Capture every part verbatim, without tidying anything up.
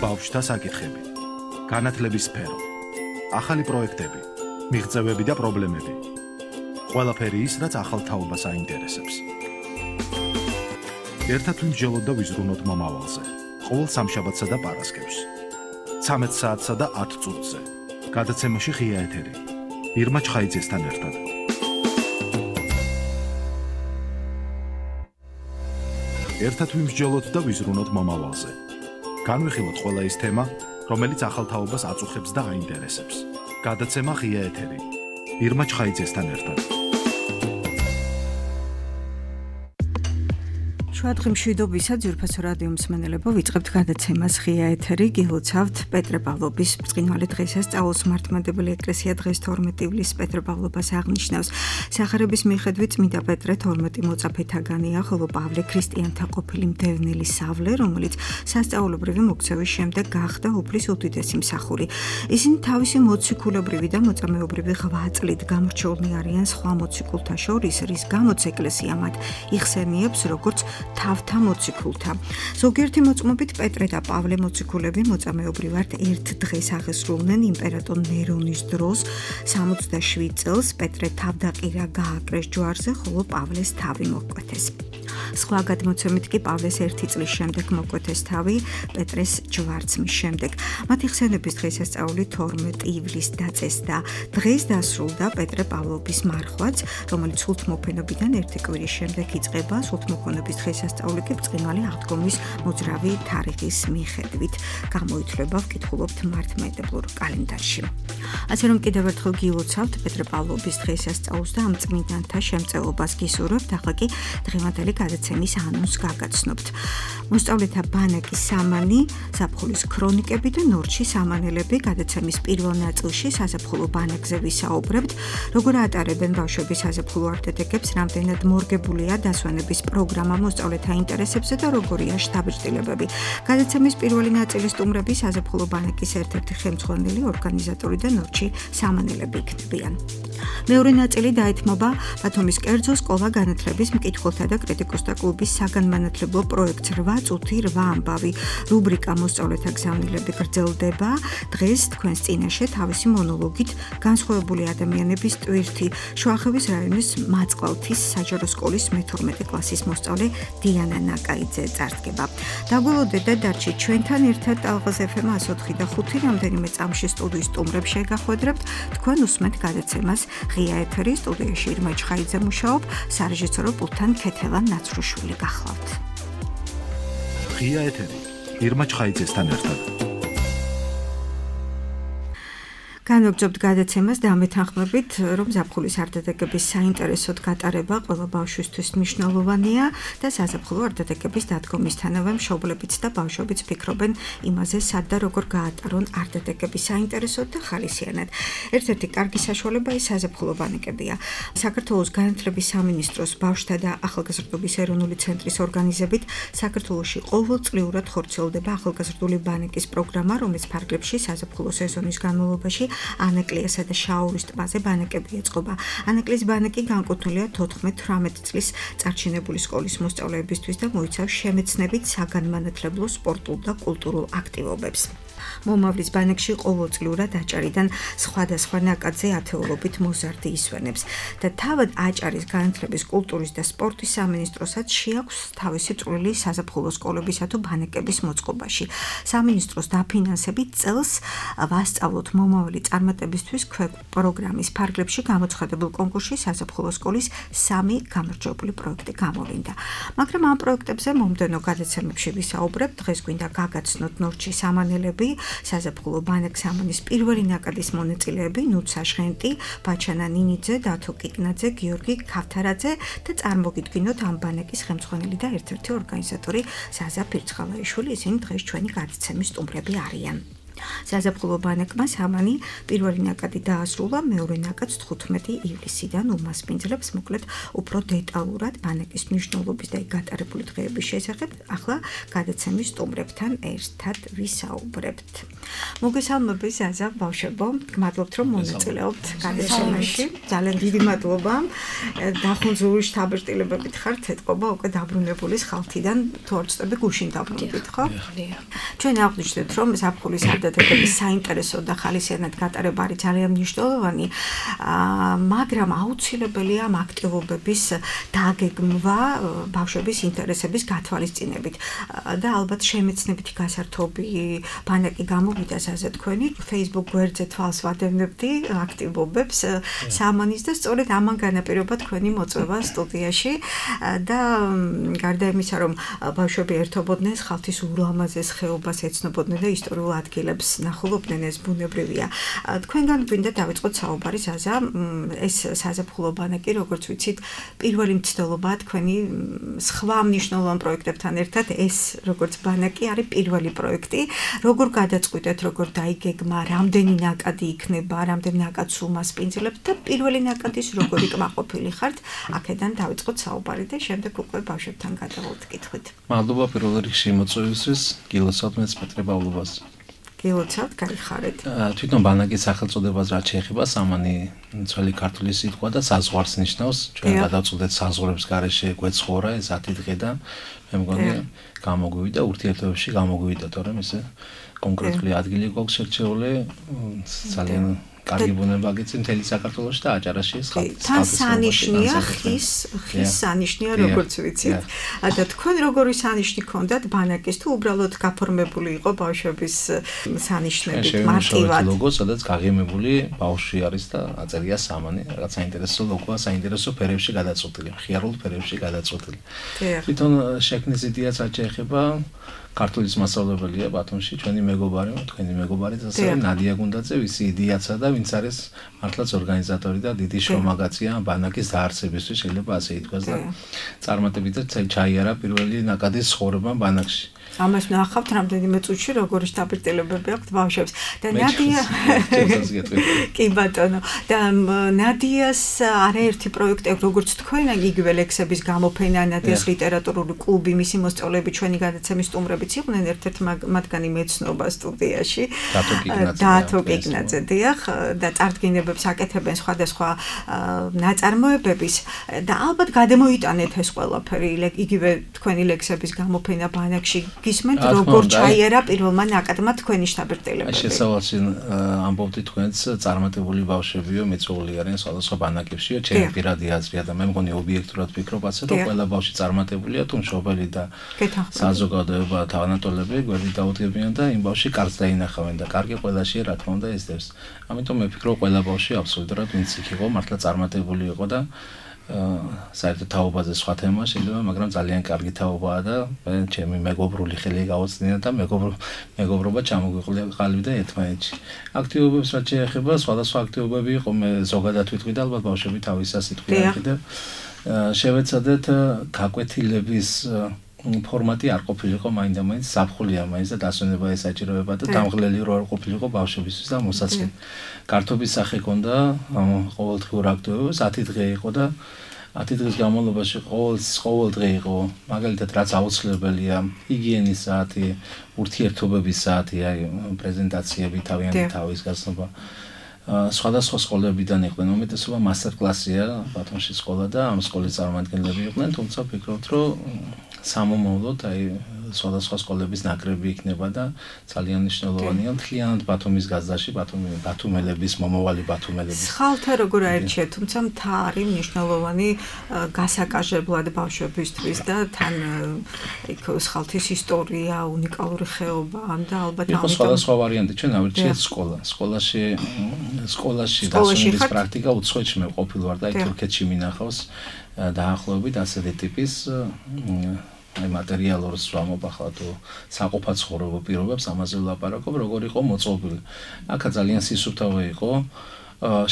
ბავშვთა საკითხები, განათლების სფერო, ახალი პროექტები, მიღწევები და პრობლემები. ყველაფერი ის, რაც ახალ თაობას აინტერესებს. ერთად ვიმსჯელოთ და ვიზრუნოთ მომავალზე. ყოველ სამშაბათსა და პარასკევს. ცამეტ საათსა და ათ წუთზე. გადაცემაში ღია ეთერი. ირმა ჩხაიძესთან ერთად. ერთად ვიმსჯელოთ და ვიზრუნოთ მომავალზე. განვიხილოთ ყველა ის თემა, რომელიც ახალ თაობას აწუხებს და აინტერესებს. გადაცემა ღია ეთერი. ირმა ჩხაიძესთან ერთად. შუადღე მშვიდობისა ძვირფასო რადიო მსმენელებო, ვიწყებთ გადაცემას ღია ეთერი. გილოცავთ პეტრე პავლობის ბრწყინვალე დღესასწაულს. მართლმადიდებელი ეკლესია დღეს თორმეტი ივლისს პეტრე პავლობას აღნიშნავს. სახარების მიხედვით წმინდა პეტრე თორმეტი მოწაფეთაგანია, ხოლო პავლე ქრისტიანთა ყოფილი მდევნელი სავლე, რომელიც სასწაულობრივი მოქცევის შემდეგ გახდა უფლის უდიდესი მსახური. ისინი თავისი მოციქულებრივი და მოწამეობრივი ღვაწლით წლით გამორჩეულნი არიან სხვა მოციქულთა შორის, რის გამოც ეკლესია მათ იხსენიებს როგორც თავთა მოციქულთა. ზოგიერთი მოწმობით პეტრე და პავლე მოციქულები მოწამეობრივად ერთ დღეს აღესრულნენ იმპერატორ ნერონის დროს. სამოცდაშვიდ წელს პეტრე თავდაყირა გააკრეს ჯვარზე, ხოლო პავლეს თავი მოკვეთეს. სხვა გადმოცემით კი პავლეს ერთი წლის შემდეგ მოკვეთეს თავი, პეტრეს ჯვარცმის შემდეგ. მათი ხსენების დღესასწაული თორმეტი ივლისს დაწესდა. დღეს დასრულდა პეტრე პავლობის მარხვაც, რომელიც სულთმოფენობიდან ერთი კვირის შემდეგ იწყება. სულთმოფენობის დღესასწაული კი ბრწყინვალე აღდგომის მოძრავი თარიღის მიხედვით გამოითვლება, ვკითხულობთ მართლმადიდებლურ კალენდარში. ასე რომ კიდევ ერთხელ გილოცავთ პეტრე პავლობის დღესასწაულს და ამ წმინდანთა შემწეობას გისურვებთ. ახლა კი დღევანდელი გადაცემის ანონსს გაგაცნობთ. მოსწავლეთა ბანაკის სამანი, ზაფხულის ქრონიკები და ნორჩი სამანელები. გადაცემის პირველ ნაწილში საზაფხულო ბანაკზე ვისაუბრებთ, როგორ ატარებენ ბავშვები საზაფხულო არტეტეკებს, რამდენად მორგებულია დასვენების პროგრამა მოსწავლეთა ინტერესებზე და როგორია შთაბეჭდილებები. გადაცემის პირველი ნაწილი სტუმრები საზაფხულო ბანაკის ერთ-ერთი ხელმძღვანელი, ორგანიზატორი და ნორჩი სამანელები იქნებიან. მეორე ნაწილი დაეთმობა ბათუმის კერძო სკოლა განათლების მკითხველთა და კრიტიკოსთა კლუბის საგანმანათლებლო პროექტს რვა წუთი რვა ამბავი. რუბრიკა მოსწავლეთა გზავნილები გრძელდება. დღეს თქვენს წინაშე თავისი მონოლოგით განსხვავებული ადამიანების ტვირთი შუახევის რაიონის მაწყვალთის საჯარო სკოლის მეთორმეტე კლასის მოსწავლე დიანა ნაკაიძე წარდგება. დაგველოდეთ და დარჩით ჩვენთან ერთად ტალღაზ ეფ ემ εκατო ოთხი და ხუთი რამდენიმე წამში სტუდიის სტუმრებს შეგახვედრებთ. თქვენ უსმენთ გადაცემას ღია ეთერი. სტუდიაში ირმა ჩხაიძე მუშაობ, სარეჟისორო პულტთან ქეთელა ნაცრუშვილი გახლავთ. ღია ეთერი. ირმა ჩხაიძესთან ერთად. განვაგრძობთ გადაცემას და ამეთანხმებით, რომ ზაფხულის არტეტეკების საინტერესოდ გატარება ყველა ბავშვისთვის მნიშვნელოვანია და საზაფხულო არტეტეკების დადგომისთანავე მშობლებიც და ბავშვებიც ფიქრობენ იმაზე, სად და როგორ გაატარონ არტეტეკები საინტერესოდ და ხალისიანად. ერთ-ერთი კარგი საშუალება ის საზაფხულო ბანაკებია. საქართველოს განათლების სამინისტროს ბავშვთა და ახალგაზრდობის ეროვნული ცენტრის ორგანიზებით საქართველოში ყოველწლიურად ხორციელდება ახალგაზრდული ბანაკის პროგრამა, რომელიც ფარგლებში საზაფხულო სეზონის განმავლობაში ანაკლიასა და შაურის ტბაზე ბანაკები ეწყობა. ანაკლის ბანაკი განკუთვნილია თოთხმეტ თვრამეტ წლის წარჩინებული სკოლის მოსწავლეებისთვის და მოიცავს შემეცნებით საგანმანათლებლო, სპორტულ და კულტურულ აქტივობებს. მომავლის ბანაკში ყოველწლიურად აჭარიდან სხვადასხვა ნაკადზე ათეულობით მოზარდი ისვენებს და თავად აჭარის განათლების, კულტურის და სპორტის სამინისტროსაც შეაქვს თავისი წვლილი საზაფხულო სკოლებისა თუ ბანაკების მოწყობაში. სამინისტროს დაფინანსებით წელს ვასწავლოთ მომავალი წარმატებისთვის ქვეკ პროგრამის ფარგლებში გამოცხადებულ კონკურსში საზაფხულო სკოლის სამი გამარჯვებული პროექტი გამოვლინდა. მაგრამ ამ პროექტებზე მომდევნო გადაცემებში ვისაუბრებთ. დღეს გვინდა გაგაცნოთ ნორჩი სამანელები, საზაფხულო ბანაკ სამანის პირველი ნაკადის მონაწილეები ნუცა ჟღენტი, ბაჩანა ნინიძე, დათო კიკნაძე, გიორგი ქავთარაძე და წარმოგიდგინოთ ამ ბანაკის ხელმძღვანელი და ერთ-ერთი ორგანიზატორი ზაზა ფირცხალაიშვილი. ისინი დღეს ჩვენი გადაცემის სტუმრები არიან. საზაფხულო ბანაკმა სამანი პირველი ნაკადი დაასრულა, მეორე ნაკადს თხუთმეტი ივლისიდან უმასპინძლებს მოკლედ უფრო დეტალურად ბანაკის მნიშვნელობის და გატარებული დღეების შესახებ ახლა გადაცემის სტუმრებთან ერთად ვისაუბრებთ. მოგესალმები ზაზა ბავშვებო, გმადლობთ რომ მონაწილეობთ გადაცემაში. ძალიან დიდი მადლობა. დახუნძური შთაბეჭდილებებით ხართ ეთყობა უკვე დაბრუნებული ხალხიდან, თუ არ ვწდები გუშინ დაბრუნდით, ხო? ჩვენ აღვნიშნეთ რომ ზაფხულის ადათებების საინტერესო და ხალისიანად გატარება არის ძალიან მნიშვნელოვანი, მაგრამ აუცილებელია ამ აქტივობების დაგეგმვა ბავშვების ინტერესების გათვალისწინებით და ალბათ შემეცნებითი გასართობი ბანაკი გამოვიდა საზა თქვენი Facebook გვერდზე თვალს ვადევნებდი აქტივობებს სამანის და სწორედ ამან განაპირობა თქვენი მოწვევა სტუდიაში და გარდა იმისა რომ ბავშვები ერთობოდნენ ხალხის ულამაზეს ხეობას ეცნობოდნენ და ისტორიულ ადგილებს ნახულობდნენ ეს ბუნებრივია. თქვენგან გვინდა დავიწყოთ საუბარი საზა ეს საზაფხულო ბანაკი როგორც ვიცით პირველი მცდელობაა თქვენი სხვა მნიშვნელოვან პროექტებთან ერთად ეს როგორც ბანაკი არის პირველი პროექტი. როგორ გადაწყვიტეთ, როგორ დაიგეგმა, რამდენი ნაკადი იქნება, რამდენი ნაკადს უმასპინძლებთ და პირველი ნაკადის როგორი კმაყოფილი ხართ, აქედან დავიწყოთ საუბარი და შემდეგ უკვე ბავშვებთან გადავალთ კითხვით. მადლობა პირველ რიგში მოწვევისთვის, გილოცავთ მეც პეტრე პავლობას. გილოცავთ, გაიხარეთ. თვითონ ბანაკის სახელწოდებას რაც შეეხება, სამანი ძველი ქართული სიტყვა და საზღვარს ნიშნავს. ჩვენ გადავწყვეტეთ საზღვრებს გარეშე გვეცხოვრა ეს ათი დღე და მე მგონი გამოგვივიდა ურთიერთობებში გამოგვივიდა, თორემ ესე კონკრეტული ადგილი გვაქვს შერჩეული, ძალიან კარგი ბუნება გიცი მთელი საქართველოში და აჭარაში ეს ხალხი. თან სანიშნია ხის, ხის სანიშნია როგორც ვიცით. და თქვენ როგორი სანიშნი ქონდათ ბანაკის თუ უბრალოდ გაფორმებული იყო ბავშვების სანიშნებით მარტივად? ლოგო, სადაც გაღიმებული ბავშვი არის და აწერია სამანი, რაღაც საინტერესო ლოგოა, საინტერესო ფერებში გადაწყვეტილი, მხიარულ ფერებში გადაწყვეტილი. თვითონ შექმნის იდეაც რაც შეეხება ქართულის მასწავლებელია ბათუმში, ჩვენი მეგობარი, თქვენი მეგობარი ასე ნადია გუნდაძე, ვისი იდეაცა და ვინც არის მართლაც ორგანიზატორი და დიდი შრომაგაცია ბანაკის დაარსებისთვის, შეიძლება ასე ითქვას და წარმატებით ჩაიარა პირველი ნაკადის ცხოვრება ბანაკში. ამას ნახავთ რამდენიმე წუთში როგორი შთაბეჭდილებები აქვთ ბავშვებს და ნადია კი ბატონო და ნადიას არაერთი პროექტი როგორც თქვენ იგივე ლექსების გამოფენა, ნადიას ლიტერატურული კლუბი, მისი მოსწავლეები ჩვენი გადაცემის სტუმრებიც იყვნენ, ერთ-ერთი მათგანი მეცნობა სტუდიაში დათო კიგნაძე დიახ და წარდგინებებს აკეთებენ სხვადასხვა ნაწარმოებების და ალბათ გადამოიტანეთ ეს ყველაფერი იგივე თქვენი ლექსების გამოფენა ბანაკში გისმენთ როგორ ჩაიერა პირველმა ნაკადმა თქვენი შთაბეჭდილებები. შესავალში ამბობდი თქვენს წარმატებული ბავშვებიო მეწვეული არიან სხვადასხვა ბანაკებშიო, ჩემი პირადი აზრია და მე მგონი ობიექტურად ვფიქრობ ასე რომ ყველა ბავშვი წარმატებულია თუ მშობელი და საზოგადოება თავანატოლები გვერდით დაუდგებიან და იმ ბავშვი კარგს დაინახავენ და კარგი ყველაშია რა თქმა უნდა ესდევს. ამიტომ მე ვფიქრობ ყველა ბავშვი აბსოლუტურად ვინც იქ იყო მართლა წარმატებული იყო და საერთოდ თაობაზე სხვა თემა შეიძლება, მაგრამ ძალიან კარგი თაობაა და ჩემი მეგობრული ხელი გაუწნია და მეგობრობა ჩამოგვიყალიბდა ერთმანეთში. აქტივობებს რაც შეეხება, სხვადასხვა აქტივობები იყო, მე ზოგადად ვიტყვი და ალბათ ბავშვები თავისას იტყვიან კიდევ. შევეცადეთ გაკვეთილების ფორმატი არ ყოფილიყო მაინდა-მაინც ზაფხულია მაინც და დასვენება ესაჭიროება და დამღლელი რო არ ყოფილიყო ბავშვებისთვის და მოსაწყენ. კარტობის სახე ქონდა ყოველდღიურ აქტივობებს, ათი დღე იყო და ათი დღის განმავლობაში ყოველ ყოველ დღე იყო მაგალითად რაც აუცილებელია ჰიგიენის საათი, ურთიერთობების საათი, აი პრეზენტაციები, თავიანთი თავის გაცნობა. სხვადასხვა სკოლებიდან იყვნენ, უმეტესობა მასტერ-კლასია, ბათუმში სკოლა და ამ სკოლის წარმომადგენლები იყვნენ, თუმცა ვფიქრობთ, რომ სამომავლოდ აი სხვადასხვა სკოლების ნაკრები იქნება და ძალიან მნიშვნელოვანია მთლიანად ბათუმის გაზდაში, ბათუმელების, მომავალი ბათუმელების. ხალხთა როგორ აერჩიეთ, თუმცა მთა არის მნიშვნელოვანი გასაკაჟებლად ბავშვებისთვის და თან იქ ხალხის ისტორია, უნიკალური ხეობა და ალბათ ამიტომ იყო სხვადასხვა ვარიანტი, ჩვენ ავირჩიეთ სკოლა. სკოლაში სკოლაში დასვენების პრაქტიკა უცხოეთში მე ყოფილ ვარ და აი თურქეთში მინახავს დაახლოებით ასეთი ტიპის აი მატერიალურს ვამობ ახლა თუ საყოფა ცხოვრება პირობებს ამაზე ვლაპარაკობ, როგორ იყო მოწყობილი. აქა ძალიან სისუფთავე იყო.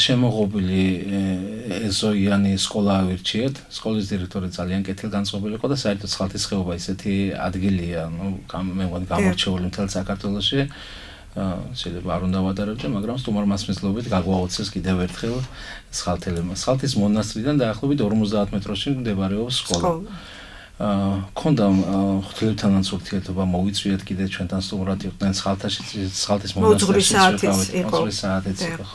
შემოღობილი ეზოიანი სკოლა ავირჩიეთ. სკოლის დირექტორი ძალიან კეთილგანწყობილი იყო და საერთოდ ხალხის ხეობა ისეთი ადგილია, ნუ მე მგონი გამორჩეული მთელ საქართველოში. შეიძლება არ უნდა ვადარებდე, მაგრამ სტუმარ მასმისლობით გაგვაოცეს კიდევ ერთხელ სხალთელმა. სხალთის მონასტრიდან დაახლოებით ორმოცდაათ მეტრში მდებარეობს სკოლა. აა ქონდა ღვთაებთანაც ურთიერთობა მოვიწვიეთ კიდე ჩვენთან სტუმრად იყვნენ სხალთაში სხალთის მონასტრში იყო. საათიც იყო.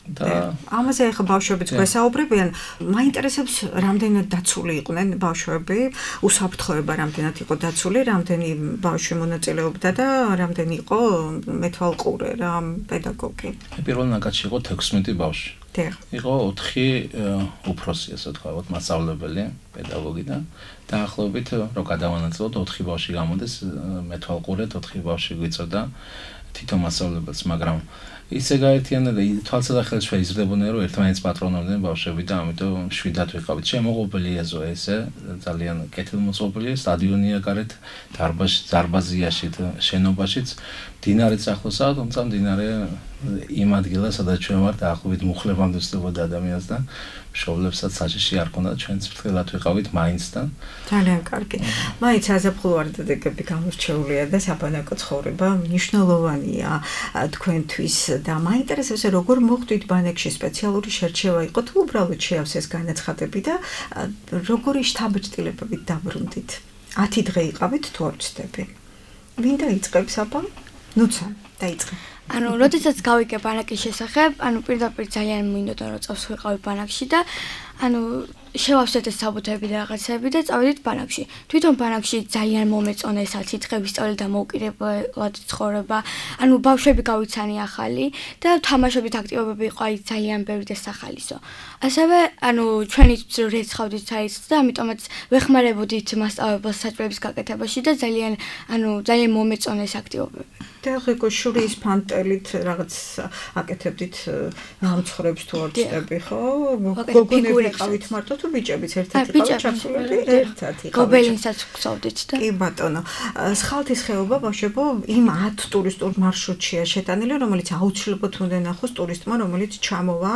და ამაზე ახლა ბავშვებიც გვესაუბრებიან, მაინტერესებს რამდენად დაცული იყვნენ ბავშვები, უსაფრთხოება რამდენად იყო დაცული, რამდენი ბავშვი მონაწილეობდა და რამდენი იყო მეთვალყურე რა პედაგოგი. პირველ ნაკადში იყო თექვსმეტი ბავშვი. იყო ოთხი უფროსი, ასე ვთქვათ, მასწავლებელი, პედაგოგი და დაახლოებით რო გადავანაწილოთ ოთხი ბავშვი გამოდეს მეთვალყურეთ, ოთხი ბავშვი გვიწოდა თვითონ მასწავლებელს, მაგრამ ისე გაერთიანდა და თვალსაჩინო შეიზრდებოდნენ რომ ერთმანეთს პატრონობდნენ ბავშვები და ამიტომ შვიდად ვიყავით. შემოღობილია ზო ესე ძალიან კეთილმოწყობილი სტადიონია გარეთ დარბაზში, დარბაზიაში, შენობაშიც დინარიც ახლოსაა, თუმცა დინარე იმ ადგილას, სადაც ჩვენ ვართ, დაახლოებით მუხლებამდე ვსწრებოდა ადამიანს და მშობლებსაც საშიში არ ქონდა, ჩვენც ფრთხილად ვიყავით მაინც და ძალიან კარგი. მაინც საზაფხულო არდადეგები გამორჩეულია და საბანაკო ცხოვრება მნიშვნელოვანია თქვენთვის და მაინტერესებს როგორ მოხდით ბანაკში სპეციალური შერჩევა იყო თუ უბრალოდ შეავსეს განაცხადები და როგორი შთაბეჭდილებებით დაბრუნდით? ათი დღე იყავით თუ არ ვცდები? ვინ დაიწყებს აბა? ნუცა დაიწყე. ანუ როდესაც გავიგე ბანაკის შესახებ, ანუ პირდაპირ ძალიან მინდოდა რომ წავს ვიყავი ბანაკში და ანუ შევავსეთ ეს საბუთები და რაღაცები და წავედით ბანაკში. თვითონ ბანაკში ძალიან მომეწონა ეს ათი დღე ვისწავლე და მოუკიდებლად ცხოვრება. ანუ ბავშვები გავიცანი ახალი და თამაშობით აქტივობები იყო აი ძალიან ბევრი და სახალისო. ასევე ანუ ჩვენი რეცხავდით საერთოდ და ამიტომაც ვეხმარებოდით მასწავლებელს საჭიროების გაკეთებაში და ძალიან ანუ ძალიან მომეწონა ეს აქტივობები. და ხო შურის ფანტელით რაღაც აკეთებდით ნამცხრებს თუ არ ვწდები ხო? გოგონები ყავით მარტო თუ ბიჭებიც ერთად იყავით ჩართულები? ერთად იყავით. გობელინსაც ვხსოვდით და კი ბატონო. სხალთის ხეობა ბავშვებო იმ ათ ტურისტულ მარშრუტშია შეტანილი, რომელიც აუცილებლად უნდა ნახოს ტურისტმა, რომელიც ჩამოვა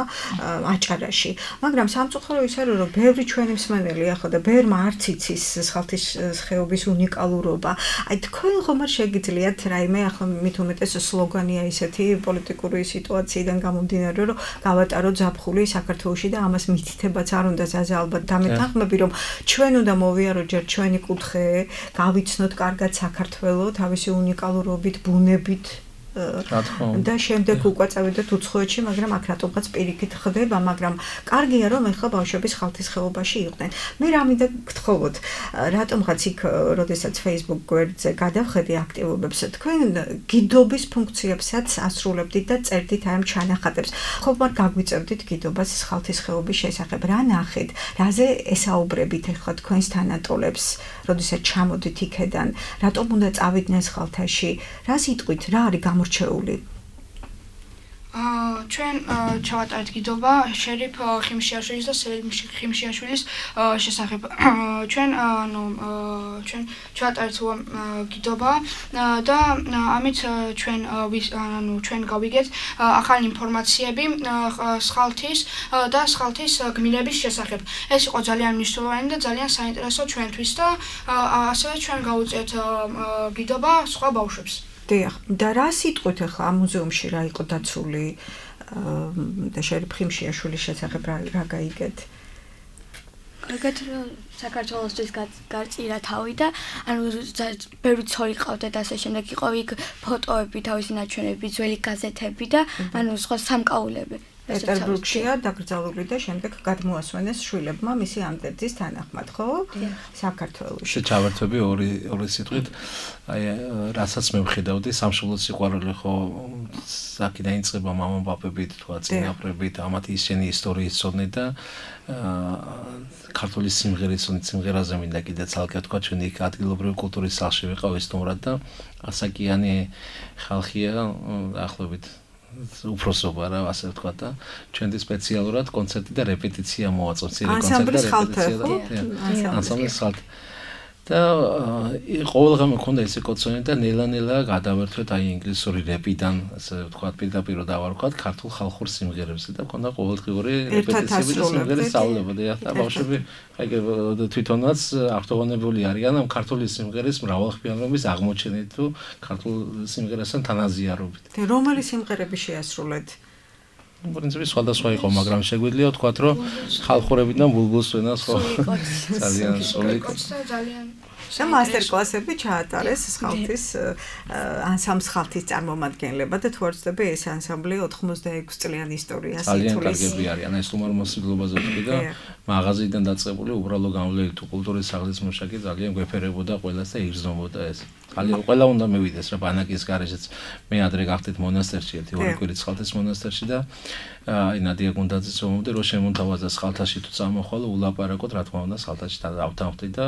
აჭარაში. მაგრამ სამწუხარო ის არის, რომ ბევრი ჩვენი მსმენელი ახლა და ბევრმა არც იცის სხალთის ხეობის უნიკალურობა. აი თქვენ ხომ არ შეგიძლიათ რაიმე ახლა მით უმეტეს სლოგანია ისეთი პოლიტიკური სიტუაციიდან გამომდინარე, რომ გავატარო ზაფხული საქართველოში და ამას მითითებაც არ უნდა ზაზე ალბათ დამეთანხმები, რომ ჩვენ უნდა მოვიაროთ ჯერ ჩვენი კუთხე, გავიცნოთ კარგად საქართველო თავისი უნიკალურობით, ბუნებით და შემდეგ უკვე წავიდეთ უცხოეთში, მაგრამ აქ რატომღაც პირიქით ხდება, მაგრამ კარგია რომ ეხლა ბავშვები სხალთის ხეობაში იყვნენ. მე რა მინდა გთხოვოთ, რატომღაც იქ, როდესაც Facebook გვერდზე გადავხედე აქტივობებს, თქვენ გიდობის ფუნქციებსაც ასრულებდით და წერდით აი ამ ჩანახატებს. ხომ არ გაგვიწევდით გიდობას სხალთის ხეობის შესახებ, რა ნახეთ, რაზე ესაუბრებით ეხლა თქვენს თანატოლებს, როდესაც ჩამოდით იქედან, რატომ უნდა წავიდნენ სხალთაში, რა სიტყვით, რა არის გამორჩეული? აა ჩვენ ჩავატარეთ გიდობა შერიფ ხიმშიაშვილის და სერიფ ხიმშიაშვილის შესახებ. ჩვენ ანუ ჩვენ ჩავატარეთ გიდობა და ამით ჩვენ ანუ ჩვენ გავიგეთ ახალი ინფორმაციები სხალთის და სხალთის გმირების შესახებ. ეს იყო ძალიან მნიშვნელოვანი და ძალიან საინტერესო ჩვენთვის და ასევე ჩვენ გავუწიეთ გიდობა სხვა ბავშვებს. და რა სიტყვით ახლა ამ მუზეუმში რა იყო დაცული და შერიფ ხიმშიაშვილის შესახებ რა გაიგეთ? გაგეთ საქართველოსთვის გარწირა თავი და ანუ ბევრი ცოლი ყავდა და ასე შემდეგ იყო იქ ფოტოები, თავისი ნაჩვენები, ძველი გაზეთები და ანუ სხვა სამკაულები. პეტერბურგშია დაკრძალული და შემდეგ გადმოასვენეს შვილებმა მისი ამდერძის თანახმად, ხო? საქართველოში. ჩავერთვები ორი ორი სიტყვით, აი რასაც მე ვხედავდი, სამშობლოს სიყვარული ხო საკიდან იწყება მამაპაპებით, თქვა წინაპრებით, ამათ ისინი ისტორიის ცოდნით და ქართული სიმღერის სიმღერაზე მინდა კიდე ცალკე თქვა, ჩვენი ადგილობრივი კულტურის სახლში ვიყავ სტუმრად და ასაკიანი ხალხია დაახლოებით უფროსობა რა ასე ვთქვა და ჩვენთვის სპეციალურად კონცერტი და რეპეტიცია მოაწყვეთ, ცირე კონცერტი და რეპეტიცია და ანსამბლის ხალხი და ყოველდღე მქონდა ესე კოცონი და ნელა-ნელა გადავერთვეთ აი ინგლისური რეპიდან, ასე ვთქვათ, პირდაპირ დავარქვათ ქართულ ხალხურ სიმღერებზე და მქონდა ყოველდღიური რეპეტიციები და სიმღერების სწავლებოდი და ბავშვები აი თვითონაც აღტოვანებული არიან ამ ქართული სიმღერის მრავალხმიანობის აღმოჩენით თუ ქართულ სიმღერასთან თანაზიარობით. და რომელი სიმღერები შეასრულეთ? პრინციპი სხვადასხვა იყო, მაგრამ შეგვიძლია ვთქვათ, რომ ხალხურებიდან ბულბულს ვენას ხო ძალიან სული ძალიან და მასტერკლასები ჩაატარეს ხალხის ანსამბლს ხალხის წარმომადგენლებმა და თუ არ ვცდები ეს ანსამბლი ოთხმოცდაექვსი წლიანი ისტორიას ითვლის. ძალიან კარგები არიან, ეს თუმარ მოსახლეობაზე ვთქვი და მაღაზიიდან დაწყებული უბრალო გამვლელი თუ კულტურის სახლის მუშაკი ძალიან გვეფერებოდა ყველას და იგრძნობოდა ეს. ძალიან ყველა უნდა მივიდეს რა ბანაკის გარეშეც მე ადრე გავხდით მონასტერში ერთი ორი კვირით ხალთის მონასტერში და აი ნადია გუნდაძის ომამდე რო შემონთავაზა ხალთაში თუ წამოხვალო ულაპარაკოთ რა თქმა უნდა ხალთაში დავთანხმდი და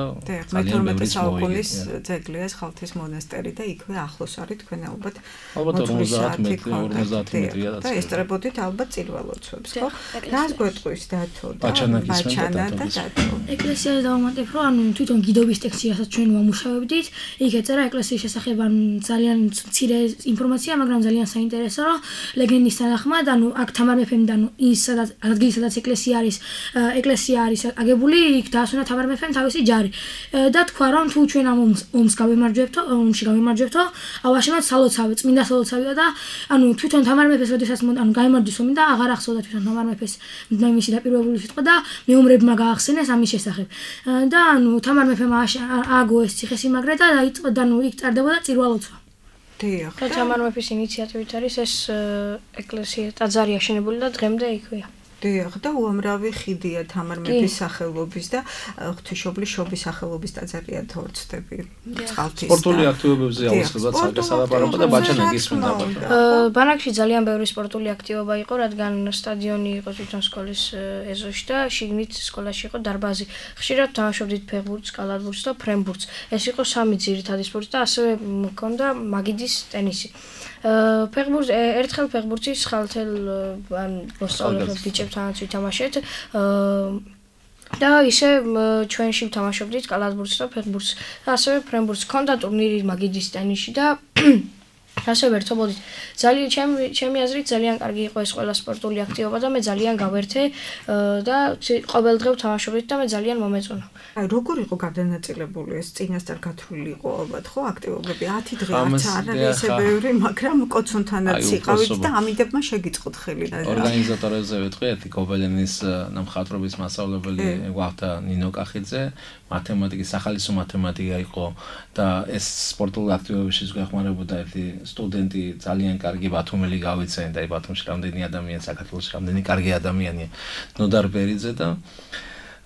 ძალიან ბევრი საუკუნის ძეგლია ხალთის მონასტერი და იქვე ახლოს არის თქვენ ალბათ ალბათ ორმოცდაათი მეტრი ორმოცდაათი მეტრია და ესწრებოდით ალბათ წირველოცვებს ხო რას გვეტყვის დათო და ბაჩანა და დათო ეკლესიაზე დავამატებ რომ ანუ თვითონ გიდობის ტექსტიასაც ჩვენ ვამუშავებდით იქ ეწერა ეკლესიის შესახებ ძალიან მცირე ინფორმაცია მაგრამ ძალიან საინტერესო რომ ლეგენდის თანახმად ანუ აქ თამარ მეფემ და ის სადაც ადგილი სადაც ეკლესია არის ეკლესია არის აგებული იქ დაასვენა თამარ მეფემ თავისი ჯარი და თქვა რომ თუ ჩვენ ამ ომს გავემარჯვებთო ომში გავემარჯვებთო ავაშენოთ სალოცავი წმინდა სალოცავია და ანუ თვითონ თამარ მეფეს როდესაც ანუ გაემარჯვეს ომი და აღარ ახსოვდა თვითონ თამარ მეფეს მისი დაპირებული სიტყვა და მეომრებმა გაახსენეს ამის შესახებ და ანუ თამარ მეფემ ააგო ეს ციხესიმაგრე და დაიწყო და ნუ იქ წარდებოდა წირვალოცვა. დიახ. და თამარ მეფის ინიციატივით არის ეს ეკლესია ტაძარი აშენებული და დღემდე იქვეა. დიახ და უამრავი ხიდია თამარ მეფის სახელობის და ღვთისმშობლის შობის სახელობის ტაძარია თორცდები. წყალთის. სპორტული აქტივობებზე აუცილებლად საგასალაპარაკო და ბაჩანა გისმენდა. ბანაკში ძალიან ბევრი სპორტული აქტივობა იყო, რადგან სტადიონი იყო თვითონ სკოლის ეზოში და შიგნით სკოლაში იყო დარბაზი. ხშირად თამაშობდით ფეხბურთს, კალათბურთს და ფრენბურთს. ეს იყო სამი ძირითადი სპორტი და ასევე მქონდა მაგიდის ტენისი. ფეხბურთს ერთხელ ფეხბურთის ხალთელ ან მოსწავლეებს ბიჭებთანაც ვითამაშეთ და ისე ჩვენში ვთამაშობდით კალათბურთს და ფეხბურთს და ასევე ფრენბურთს. ქონდა ტურნირი მაგიდის ტენისში და ასე ვერთობოდით. ძალიან ჩემი ჩემი აზრით ძალიან კარგი იყო ეს ყველა სპორტული აქტივობა და მე ძალიან გავერთე და ყოველდღე ვთამაშობდით და მე ძალიან მომეწონა. აი როგორ იყო გადანაწილებული ეს წინასწარ გათვლილი იყო ალბათ ხო აქტივობები ათი დღე არც არ არის ესე ბევრი მაგრამ კოცონთანაც იყავით და ამიდებმა შეგიწყოთ ხელი და ორგანიზატორებზე ვეთქვი ერთი გობელენის ნამხატვრობის მასწავლებელი გვახდა ნინო კახიძე მათემატიკის სახალისო მათემატიკა იყო და ეს სპორტულ აქტივობებშიც გვეხმარებოდა ერთი სტუდენტი ძალიან კარგი ბათუმელი გავიცენ და ბათუმში რამდენი ადამიანი საქართველოში რამდენი კარგი ადამიანია ნოდარ ბერიძე და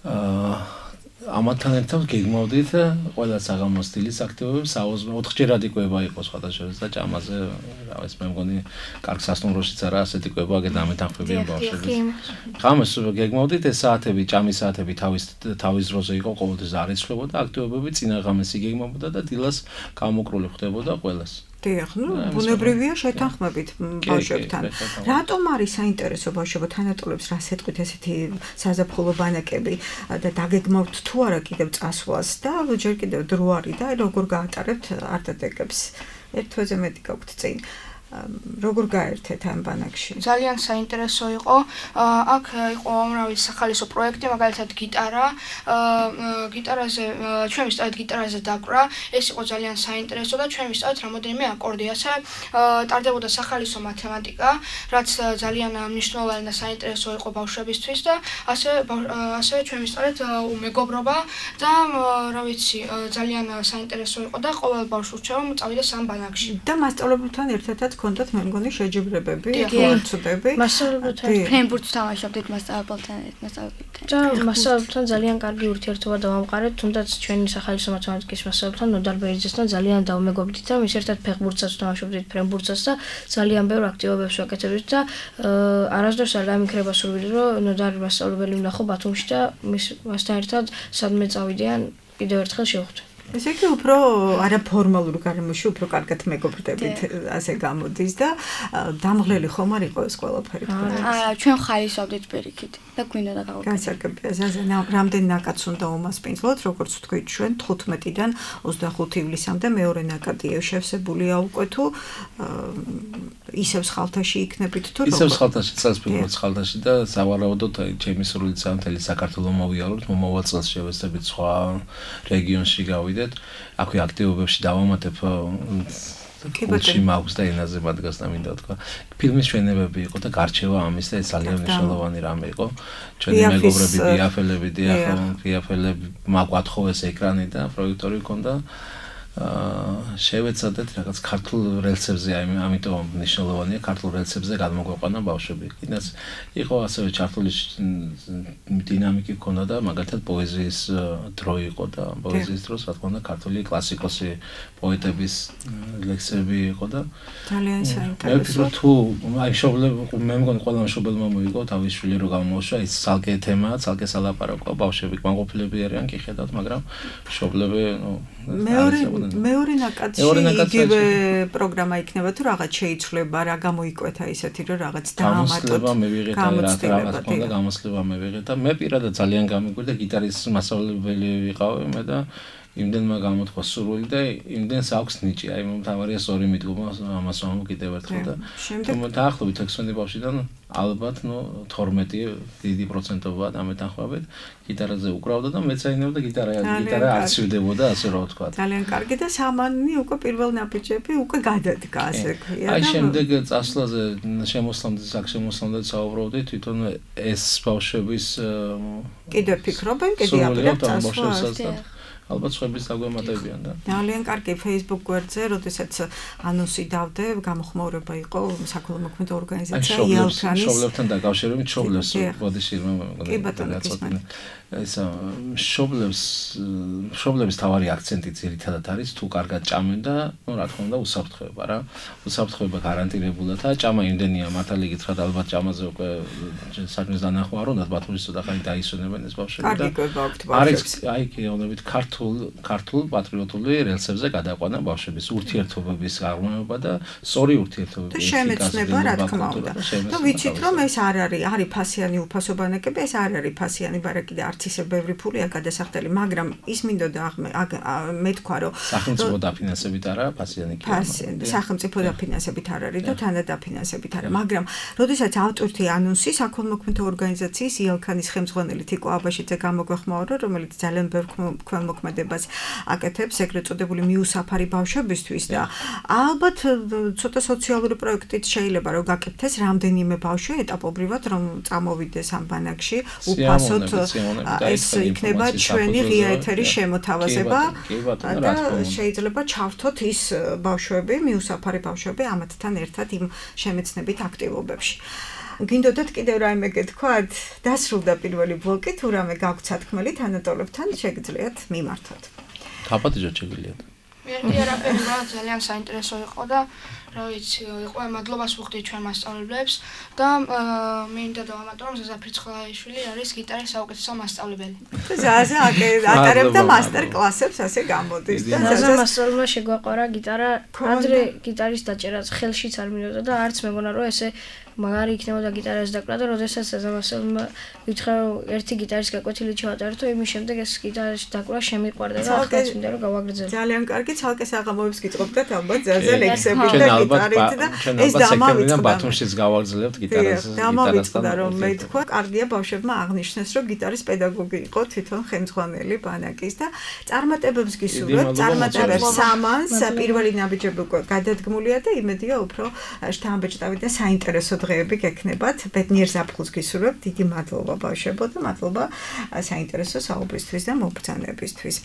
აა ამათთან ერთად გეგმავდით ყველა საღამოს სტილის აქტივობებს ოთხჯერად იკვება იყო სხვადასხვა და ჭამაზე რა ვიცი მე მგონი კარგ სასტუმროშიც არა ასეთი კვება აგეთ ამეთანხმებიან ბავშვები. ღამეს გეგმავდით ეს საათები ჭამის საათები თავის თავის დროზე იყო ყოველთვის არ იცვლებოდა აქტივობები წინა ღამეს იგეგმავდა და დილას გამოკრული ხდებოდა ყველას. დიახ, ნუ ბუნებრივია შეთანხმებით ბავშვებთან. რატომ არის საინტერესო ბავშვებო თანატოლებს რას ეთქვით ესეთი საზაფხულო ბანაკები და დაგეგმავთ თუ არა კიდევ წასვლას და ჯერ კიდევ დრო არის და როგორ გაატარებთ არტეტეკებს? ერთ თვეზე მეტი გაქვთ წინ. როგორ გაერთეთ ამ ბანაკში? ძალიან საინტერესო იყო. აქ იყო უამრავი სახალისო პროექტი, მაგალითად გიტარა, გიტარაზე, ჩვენ ვისწავლეთ გიტარაზე დაკვრა. ეს იყო ძალიან საინტერესო და ჩვენ ვისწავლეთ რამოდენიმე აკორდი. ასე ტარდებოდა სახალისო მათემატიკა, რაც ძალიან მნიშვნელოვანი და საინტერესო იყო ბავშვებისთვის და ასე ასევე ჩვენ ვისწავლეთ მეგობრობა და რა ვიცი, ძალიან საინტერესო იყო და ყოველ ბავშვს ურჩევა წავიდეს ამ ბანაკში. და მასწავლებლებთან ერთადაც კონდათ მე მგონი შეჯიბრებები, ხორცდები. მასწავლებლებთან ფრენბურთს თამაშობდით მასწავლებელთან, მასწავლებელთან. და მასწავლებელთან ძალიან კარგი ურთიერთობა დავამყარეთ, თუნდაც ჩვენი სახალისო მათემატიკის მასწავლებელთან ნოდარ ბერიძესთან ძალიან დავმეგობრდით და მის ერთად ფეხბურთსაც თამაშობდით, ფრენბურთსაც და ძალიან ბევრ აქტივობებს ვაკეთებდით და არასდროს არ დამიქრება სურვილი, რომ ნოდარ მასწავლებელი ვნახო ბათუმში და მის მასთან ერთად სადმე წავიდიან კიდევ ერთხელ შევხვდე. ესე იგი უფრო არაფორმალურ გარემოში უფრო კარგად მეგობრდებით ასე გამოდის და დამღლელი ხომ არ იყო ეს ყველაფერი? არა, ჩვენ ხალისობდით პირიქით და გვინდა და გავაკეთოთ. გასაგებია, ზაზე რამდენი ნაკადს უნდა უმასპინძლოთ, როგორც თქვით, ჩვენ თხუთმეტიდან ოცდახუთი ივლისამდე მეორე ნაკადი შევსებულია უკვე თუ ისევ ხალთაში იქნებით თუ როგორ? ისევ ხალთაში, წელს პირველ ხალთაში და სავარაუდოდ ჩემი სრულიც მთელი საქართველოს მოვიაროთ, მომავალ წელს შევეცდებით სხვა რეგიონში გავიდეთ. აქვე აქტივობებში დავამატებ კიბოჩი მაქვს და ენაზე მადგას და მინდა თქვა. ფილმის ჩვენებები იყო და გარჩევა ამის და ეს ძალიან მნიშვნელოვანი რამე იყო. ჩვენი მეგობრები დიაფელები, დიაფელები მაგვათხოვეს ეკრანი და პროექტორი ჰქონდა. აა შევეცადეთ რაღაც ქართულ რელსებზე, ამიტომ მნიშვნელოვანია ქართულ რელსებზე გადმოგვეყვანა ბავშვები. კიდაც იყო ასევე ჩართული დინამიკი ჰქონდა და მაგალითად პოეზიის დრო იყო და პოეზიის დროს რა თქმა უნდა ქართული კლასიკოსი პოეტების ლექსები იყო და ძალიან საინტერესო. მე ვფიქრობ თუ აი მშობლები მე მგონი ყველა მშობელმა მოიგო თავის შვილი რო გამოუშვა ის ცალკე თემაა, ცალკე სალაპარაკო, ბავშვები კმაყოფილები არიან კი ხედავთ, მაგრამ მშობლები ნუ მეორე მეორე ნაკადში იგივე პროგრამა იქნება თუ რაღაც შეიცვლება, რა გამოიკვეთა ისეთი რომ რაღაც დაამატოთ. გამოსლება მე ვიღეთ და რაღაც ქონდა გამოსლება მე ვიღეთ და მე პირადად ძალიან გამიკვირდა გიტარის მასწავლებელი ვიყავი მე და იმდენმა გამოთხვა სურვილი და იმდენს აქვს ნიჭი. აი მომთავარია სწორი მიდგომა ამას ვამბობ კიდევ ერთხელ და დაახლოებით ექვსი ბავშვიდან ალბათ ნუ თორმეტი დიდი პროცენტობაა დამეთანხმებით გიტარაზე უკრავდა და მეცაინებდა გიტარა გიტარა არ ცივდებოდა ასე რა ვთქვა. ძალიან კარგი და სამანი უკვე პირველ ნაბიჯები უკვე გადადგა ასე ქვია. აი შემდეგ წასვლაზე შემოსვლამდე საქშემოსვლამდე საუბრობდი თვითონ ეს ბავშვების კიდევ ფიქრობენ კიდე აპირებთ წასვლა. ალბათ სხვების დაგვემატებიან და ძალიან კარგი Facebook გვერდზე, როდესაც ანონსი დავდე, გამოხმაურება იყო საქველო მოქმედი ორგანიზაცია იალქანის მშობლებთან დაკავშირებით მშობლებს ბოდიშირმა მეგონა ეს მშობლებს მშობლების თავარი აქცენტი ძირითადად არის თუ კარგად ჭამენ და ნუ რა თქმა უნდა უსაფრთხოება რა უსაფრთხოება გარანტირებულად და ჭამა იმდენია მართალი გითხრათ ალბათ ჭამაზე უკვე საქმის დანახვა არ უნდა ბათუმის ცოტა ხანი დაისვენებენ ეს ბავშვები და არის აი კეონებით ქართულ ქართულ პატრიოტული რელსებზე გადაყვანა ბავშვების ურთიერთობების აღმოჩნდა და სწორი ურთიერთობების შემეცნება რა თქმა უნდა და ვიცით რომ ეს არ არის არის ფასიანი უფასო ბანაკები ეს არ არის ფასიანი ბარაკი და არც ისე ბევრი ფულია გადასახდელი მაგრამ ის მინდოდა მე თქვა რომ სახელმწიფო დაფინანსებით არა ფასიანი კი არა სახელმწიფო დაფინანსებით არ არის და თანადაფინანსებით არა მაგრამ როდესაც ავტორთი ანონსი საქველმოქმედო ორგანიზაციის იალქანის ხელმძღვანელი თიკო აბაშიძე გამოგვეხმაურა რომელიც ძალიან ბევრ ხელმოქმედებას აკეთებს ეგრეთ წოდებული მიუსაფარი ბავშვებისთვის და ალბათ ცოტა სოციალური პროექტით შეიძლება რომ გაკეთდეს რამდენიმე ბავშვი ეტაპობრივად რომ წამოვიდეს ამ ბანაკში უფასოდ ეს იქნება ჩვენი ღია ეთერის შემოთავაზება და შეიძლება ჩავთოთ ის ბავშვები მიუსაფარი ბავშვები ამათთან ერთად იმ შემეცნებით აქტივობებში გინდოდათ კიდევ რაიმე გეთქვათ დასრულდა პირველი ბლოკი თუ რამე გაქვთ სათქმელი თანატოლებთან შეგიძლიათ მიმართოთ დაპატიჟოთ შეგიძლიათ მე არაფერი რა ძალიან საინტერესო იყო და რა ვიცი იყო მადლობას ვუხდი ჩვენ მასწავლებლებს და მინდა დავამატო რომ ზაზა ფრიცხლაიშვილი არის გიტარის საუკეთესო მასწავლებელი ზაზა ატარებდა მასტერ კლასებს ასე გამოდის და ზაზა მასწავლებელმა შეგვაყარა გიტარა ადრე გიტარის დაჭერაც ხელშიც არ მინდოდა და არც მეგონა რომ ესე მაგარი იქნებოდა გიტარას დაკვრა და როდესაც ზაზამასელმა ვითხრა რომ ერთი გიტარის გაკვეთილი ჩავატარდო იმის შემდეგ ეს გიტარის დაკვრა შემიყვარდა და ახლა მინდა რომ გავაგრძელო ძალიან კარგი ცალკე საღამოებს გიწყობდათ ალბათ ზაზა ლექსებით და გიტარით და ეს დამავიწყდა ბათუმშიც გავაგრძელებთ გიტარას დამავიწყდა რომ მე თქვა კარგია ბავშვებმა აღნიშნეს რომ გიტარის პედაგოგი იყო თვითონ ხელმძღვანელი ბანაკის და წარმატებებს გისურვებთ წარმატებებს სამანს პირველი ნაბიჯები უკვე გადადგმულია და იმედია უფრო შთამბეჭდავი და საინტერესო დღეები გექნებათ ბედნიერ ზაფხულს გისურვებთ დიდი მადლობა ბავშვებო და მადლობა საინტერესო საუბრისთვის და მობრძანებისთვის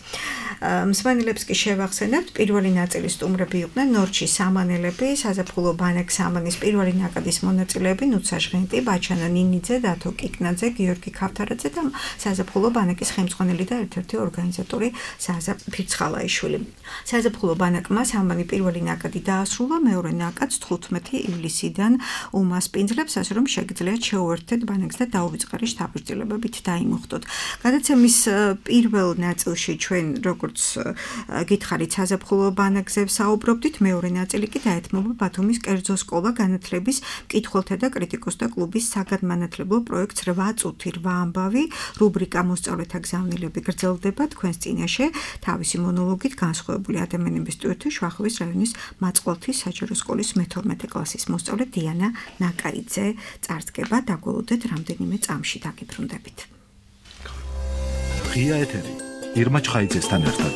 მსმენელებს კი შევახსენებთ პირველი ნაწილის სტუმრები იყვნენ ნორჩი სამანელები მონაწილეები, საზაფხულო ბანაკ სამანის პირველი ნაკადის მონაწილეები, ნუცა ჟღენტი, ბაჩანა ნინიძე, დათო კიკნაძე, გიორგი ქავთარაძე და საზაფხულო ბანაკის ხელმძღვანელი და ერთ-ერთი ორგანიზატორი საზა ფირცხალაიშვილი. საზაფხულო ბანაკმა სამანი პირველი ნაკადი დაასრულა, მეორე ნაკადს თხუთმეტი ივლისიდან უმასპინძლებს, ასე რომ შეგიძლიათ შეუერთდეთ ბანაკს და დაუვიწყარი შთაბეჭდილებებით დაიმუხტოთ. გადაცემის პირველ ნაწილში ჩვენ როგორც გითხარით საზაფხულო ბანაკზე საუბრობდით, მეორე ნაწილი კი დაეთმობა ბათუმის კერძო სკოლა განათლების მკითხველთა და კრიტიკოსთა კლუბის საგანმანათლებლო პროექტს რვა წუთი რვა ამბავი, რუბრიკა მოსწავლეთა გზავნილები გრძელდება თქვენს წინაშე, თავისი მონოლოგით განსხვავებული ადამიანების ტვირთი შვახოვის რაიონის მაწყვალთის საჯარო სკოლის მეთორმეტე კლასის მოსწავლე დიანა ნაკაიძე წარსდგება, დაგველოდეთ რამდენიმე წამში დაგიბრუნდებით. ღია ეთერი ირმა ჩხაიძესთან ერთად.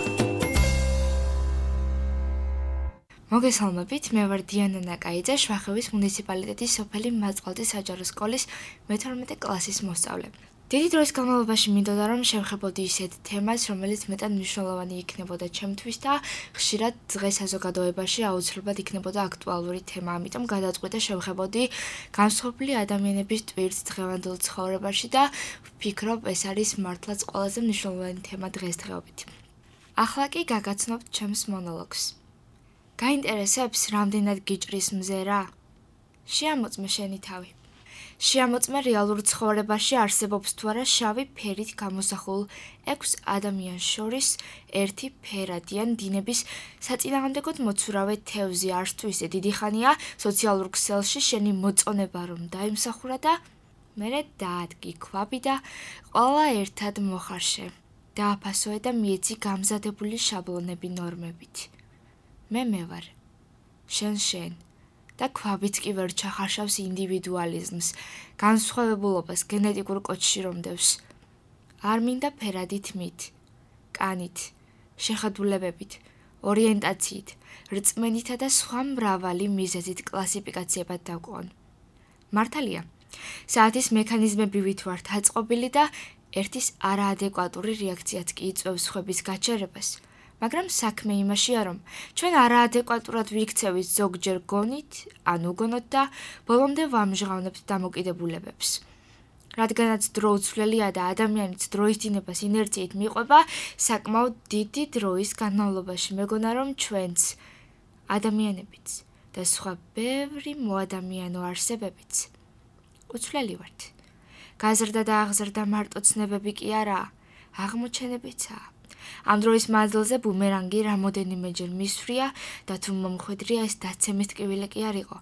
მოგესალმებით, მე ვარ დიანა ნაკაიძე, შვახევის მუნიციპალიტეტის სოფელი მაწყვალთის საჯარო სკოლის მეთორმეტე კლასის მოსწავლე. დიდი დროის განმავლობაში მინდოდა რომ შევხებოდი ისეთ თემას, რომელიც მეტად მნიშვნელოვანი იქნებოდა ჩემთვის და ხშირად დღეს საზოგადოებაში აუცილებლად იქნებოდა აქტუალური თემა, ამიტომ გადაწყვიტე შევხებოდი განსხვავებული ადამიანების ტვირთს დღევანდელ ცხოვრებაში და ვფიქრობ, ეს არის მართლაც ყველაზე მნიშვნელოვანი თემა დღესდღეობით. ახლა კი გაგაცნობთ ჩემს მონოლოგს. გაინტერესებს, რამდენად გიჭრის მზერა? შეამოწმე შენი თავი. შეამოწმე რეალურ ცხოვრებაში არსებობს თუ არა შავი ფერით გამოსახულ ექვს ადამიანს შორის ერთი ფერადიან დინების საწინააღმდეგოდ მოცურავე თევზი არც თუ ისე დიდი ხანია სოციალურ ქსელში შენი მოწონება რომ დაიმსახურა და მერე დაადგი ქვაბი და ყველა ერთად მოხარშე. დააფასოე და მიეცი გამზადებული შაბლონები ნორმებით. მე მე ვარ. შენ შენ. და ქვაბიც კი ვერ ჩახარშავს ინდივიდუალიზმს, განსხვავებულობას გენეტიკურ კოდში რომდევს. არ მინდა ფერადი თმით, კანით, შეხედულებებით, ორიენტაციით, რწმენითა და სხვა მრავალი მიზეზით კლასიფიკაციებად დავკვან. მართალია, საათის მექანიზმები ვით ვართ აწყობილი და ერთის არაადეკვატური რეაქციაც კი იწვევს სხვების გაჩერებას. მაგრამ საქმე იმაშია, რომ ჩვენ არაადეკვატურად ვიქცევით ზოგჯერ გონით, ან უგონოთ და ბოლომდე ვამჟღავნებთ დამოკიდებულებებს. რადგანაც დრო უცვლელია და ადამიანიც დროის დინებას ინერციით მიყვება, საკმაოდ დიდი დროის განმავლობაში მეგონა, რომ ჩვენც, ადამიანებიც და სხვა ბევრი მოადამიანო არსებებიც უცვლელი ვართ. გაზრდა და აღზრდა მარტო ცნებები კი არაა, აღმოჩენებიცაა. ამ დროის მანძილზე ბუმერანგი რამოდენიმეჯერ მისვრია და თუ მომხვედრია ეს დაცემის ტკივილი კი არ იყო,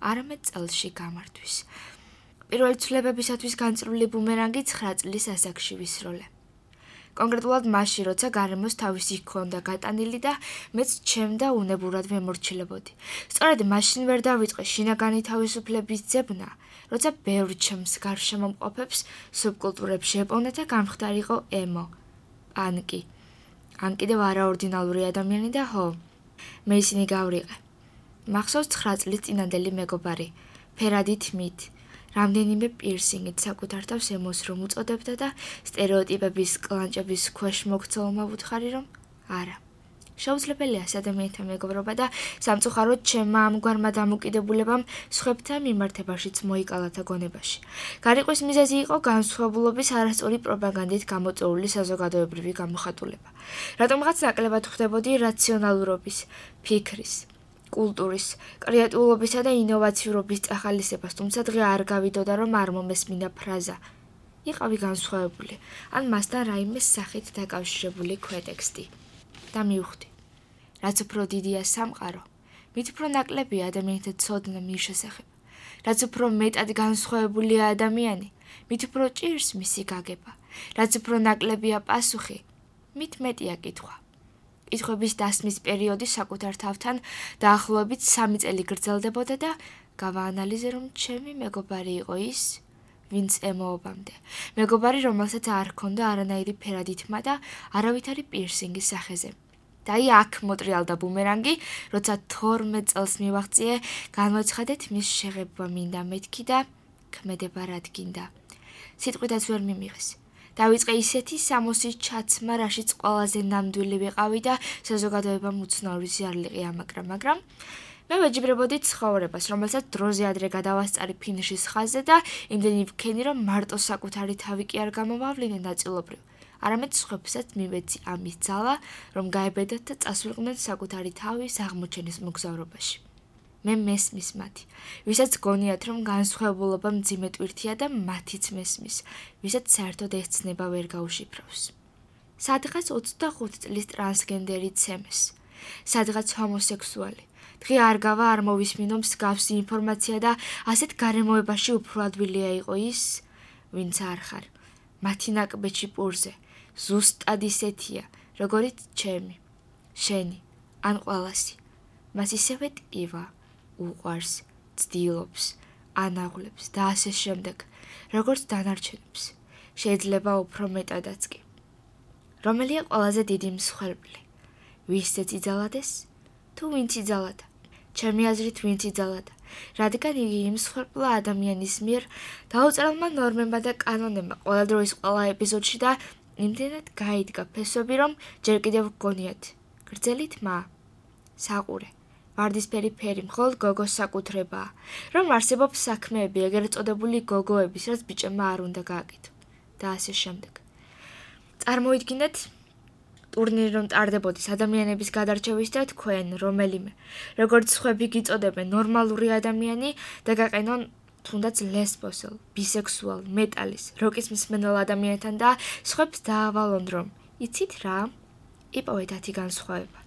არამედ წელში გამართვის. პირველი ცვლილებებისათვის განწრული ბუმერანგი ცხრა წლის ასაკში ვისროლე. კონკრეტულად მაშინ, როცა გარემოს თავისი ჰქონდა გატანილი და მეც ჩემდა უნებურად ვემორჩილებოდი. სწორედ მაშინ ვერ დავიწყე შინაგანი თავისუფლების ძებნა, როცა ბევრ ჩემს გარშემო მყოფებს სუბკულტურებში ეპოვნა და გამხდარიყო ემო, პანკი. ან კიდევ არაორდინალური ადამიანი და ჰო, მე ისინი გავრიყე. მახსოვს ცხრა წლის წინანდელი მეგობარი, ფერადი თმით, რამდენიმე პირსინგით საკუთარ თავს ემოს რომ უწოდებდა და სტერეოტიპების კლანჭების ქვეშ მოგცელმა ვუთხარი რომ არა. შეუძლებელია ადამიანთა მეგობრობა და სამწუხაროდ ჩემმა ამგვარმა დამოკიდებულებამ სხვებთან მიმართებაშიც მოიკალათა გონებაში. გარიყვის მიზეზი იყო განსხვავებულობის არასწორი პროპაგანდით გამოწვეული საზოგადოებრივი გამოხატულება. რატომღაც ნაკლებად ხვდებოდი რაციონალურობის, ფიქრის, კულტურის, კრეატიულობისა და ინოვაციურობის წახალისებას, თუმცა დღე არ გავიდოდა რომ არ მომესმინა ფრაზა. იყავი განსხვავებული, ან მასთან რაიმე სახით დაკავშირებული ქვეტექსტი. და მივხვდი. რაც უფრო დიდია სამყარო, მით უფრო ნაკლებია ადამიანთა ცოდნა მის შესახებ. რაც უფრო მეტად განსხვავებულია ადამიანი, მით უფრო ჭირს მისი გაგება. რაც უფრო ნაკლებია პასუხი, მით მეტია კითხვა. კითხვების დასმის პერიოდი საკუთარ თავთან დაახლოებით სამი წელი გრძელდებოდა და გავაანალიზე რომ ჩემი მეგობარი იყო ის, ვინც ემოობამდე. მეგობარი, რომელსაც არ ჰქონდა არანაირი ფერადი თმა და არავითარი პირსინგი სახეზე. და აი აქ მოტრიალდა ბუმერანგი, როცა თორმეტ წელს მივაღწიე, განვაცხადეთ მის შეღება მინდა მეთქი და ქმედება რადგინდა. სიტყვიდაც ვერ მიმიღეს. დავიწყე ისეთი სამოსის ჩაცმა, რაშიც ყველაზე ნამდვილი ვიყავი და საზოგადოებამ უცნაური ზიარლიყი ამაგრა, მაგრამ მე ვეჯიბრებოდი ცხოვრებას, რომელსაც დროზე ადრე გადავასწარი ფინიშის ხაზზე და იმდენი ვქენი, რომ მარტო საკუთარი თავი კი არ გამოვავლინე ნაწილობრივ. არამედ სხვებსაც მივეცი ამის ძალა, რომ გაებედათ და წასვლიყვნენ საკუთარი თავის აღმოჩენის მოგზაურობაში. მე მესმის მათი, ვისაც გონიათ, რომ განსხვავებულობა მძიმე ტვირთია და მათიც მესმის, ვისაც საერთოდ ეს ცნება ვერ გაუშიფრავს. სადღაც ოცდახუთი წლის ტრანსგენდერი ცემეს, სადღაც ჰომოსექსუალი. დღე არ გავა არ მოვისმინო მსგავსი ინფორმაცია და ასეთ გარემოებაში უფრო ადვილია იყო ის, ვინც არ ხარ. მათი ნაკბეთში პურზე, ზუსტად ისეთია, როგორიც ჩემი, შენი, ან ყველასი. მას ისევე ტკივა, უყვარს, ცდილობს, ანაღვლებს და ასე შემდეგ, როგორც დანარჩენებს. შეიძლება უფრო მეტადაც კი. რომელია ყველაზე დიდი მსხვერპლი? ვისცეც იძალადეს? თუ ვინც იძალადა? ჩემი აზრით ვინც იძალადა, რადგან იგი იმსხვერპლა ადამიანის მიერ დაუწერელმა ნორმებმა და კანონებმა ყველა დროის ყველა ეპიზოდში და იმდენად გაიდგა ფესვები, რომ ჯერ კიდევ გგონიათ გრძელი თმა, საყურე, ვარდისფერი ფერი მხოლოდ გოგოს საკუთრებაა, რომ არსებობს საქმეები ეგრეთ წოდებული გოგოების, რაც ბიჭებმა არ უნდა გააკეთო და ასე შემდეგ. წარმოიდგინეთ ტურნირი რომ ტარდებოდეს ადამიანების გადარჩევის და თქვენ რომელიმე, როგორც სხვები გიწოდებენ ნორმალური ადამიანი და გაყენონ თუნდაც ლესბოსელ, ბისექსუალ, მეტალის, როკის მსმენელ ადამიანთან და სხვებს დაავალონ რომ იცით რა? იპოვეთ ათი განსხვავება.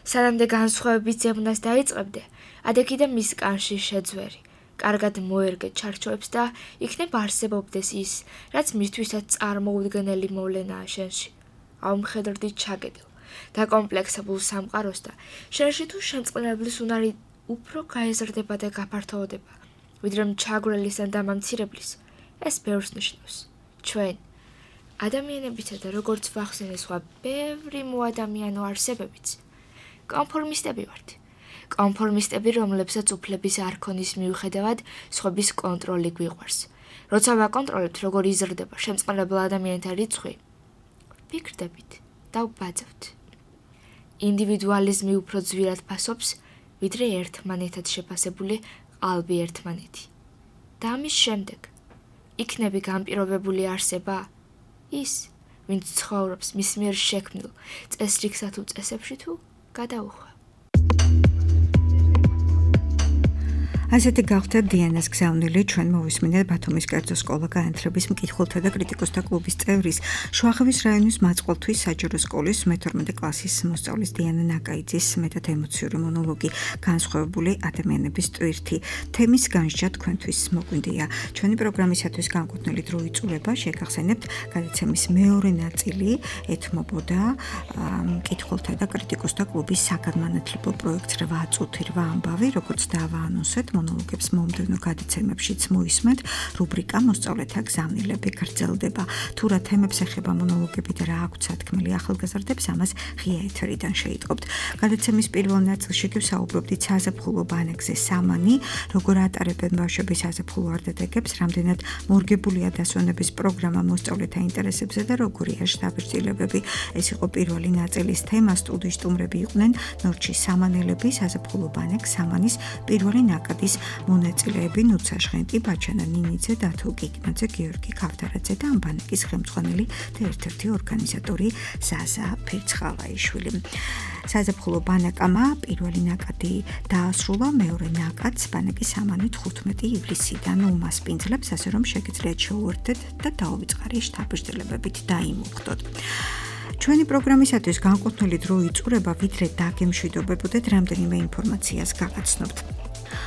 სანამდე განსხვავების ძებნას დაიწყებდე, ადექიდან მის კანში შეძვერი. კარგად მოერგე ჩარჩოებს და იქნებ არსებობდეს ის, რაც მისთვისაც წარმოუდგენელი მოვლენაა შენში. აუმხედრდი ჩაგედილ, დაკომპლექსებულ სამყაროს და შენში თუ შემწყნარებლის უნარი უფრო გაეზრდება და გაფართოვდება, ვიდრე ჩაგვრელისა და დამამცირებლის, ეს ბევრს ნიშნავს. ჩვენ, ადამიანებისა და როგორც ვახსენე სხვა ბევრი მოადამიანო არსებებიც, კონფორმისტები ვართ. კონფორმისტები, რომლებსაც უფლების არ ქონის მიუხედავად სხვების კონტროლი გვიყვარს. როცა ვაკონტროლებთ, როგორ იზრდება შემწყნარებელ ადამიანთა რიცხვი, ვიქრდებით და ვბაძავთ. ინდივიდუალიზმი უფრო ძვირად ფასობს, ვიდრე ერთმანეთად შეფასებული ყალბი ერთმანეთი. და ამის შემდეგ, იქნები განპირობებული არსება, ის, ვინც ცხოვრობს მის მიერ შექმნილ წესრიგსა თუ წესებში თუ გადაუხვა. ასეთი გავხდა დიანას გზავნილი, ჩვენ მოვისმინეთ ბათუმის კერძო სკოლა განათლების მკითხველთა და კრიტიკოსთა კლუბის წევრის, შვახევის რაიონის მაწყვალთვის საჯარო სკოლის მეთორმეტე კლასის მოსწავლის დიანა ნაკაიძის მეტად ემოციური მონოლოგი განსხვავებული ადამიანების ტვირთი. თემის განსჯა თქვენთვის მოგვინდია. ჩვენი პროგრამისათვის განკუთვნილი დრო იწურება, შეგახსენებთ, გადაცემის მეორე ნაწილი ეთმობოდა მკითხველთა და კრიტიკოსთა კლუბის საგანმანათლებლო პროექტს რვა წუთი რვა ამბავი, როგორც დავაანონსეთ მონოლოგებს მომდევნო გადაცემებშიც მოისმენთ, რუბრიკა მოსწავლეთა გზავნილები გრძელდება. თუ რა თემებს ეხება მონოლოგები და რა აქვთ სათქმელი ახალგაზრდებს, ამას ღია ეთერიდან შეიტყობთ. გადაცემის პირველ ნაწილში კი ვსაუბრობდით საზაფხულო ბანაკზე სამანი, როგორ ატარებენ ბავშვები საზაფხულო არდადეგებს, რამდენად მორგებულია დასვენების პროგრამა მოსწავლეთა ინტერესებზე და როგორია შთაბეჭდილებები. ეს იყო პირველი ნაწილის თემა. სტუდიის სტუმრები იყვნენ ნორჩი სამანელები, საზაფხულო ბანაკ სამანის პირველი ნაკადი მონაწილეები ნუცა ჟღენტი, ბაჩანა ნინიძე, დათო გიგნაძე, გიორგი ქავთარაძე და ამ ბანაკის ხელმძღვანელი და ერთ-ერთი ორგანიზატორი ზაზა ფირცხალაიშვილი. საზაფხულო ბანაკმა პირველი ნაკადი დაასრულა, მეორე ნაკადს ბანაკის სამანი თხუთმეტი ივლისიდან უმასპინძლებს, ასე რომ შეგიძლიათ შეუერთდეთ და დაუვიწყარი შთაბეჭდილებებით დაიმუხტოთ. ჩვენი პროგრამისათვის განკუთვნილი დრო იწურება, ვიდრე დაგემშვიდობებოდეთ, რამდენიმე ინფორმაციას გაგაცნობთ.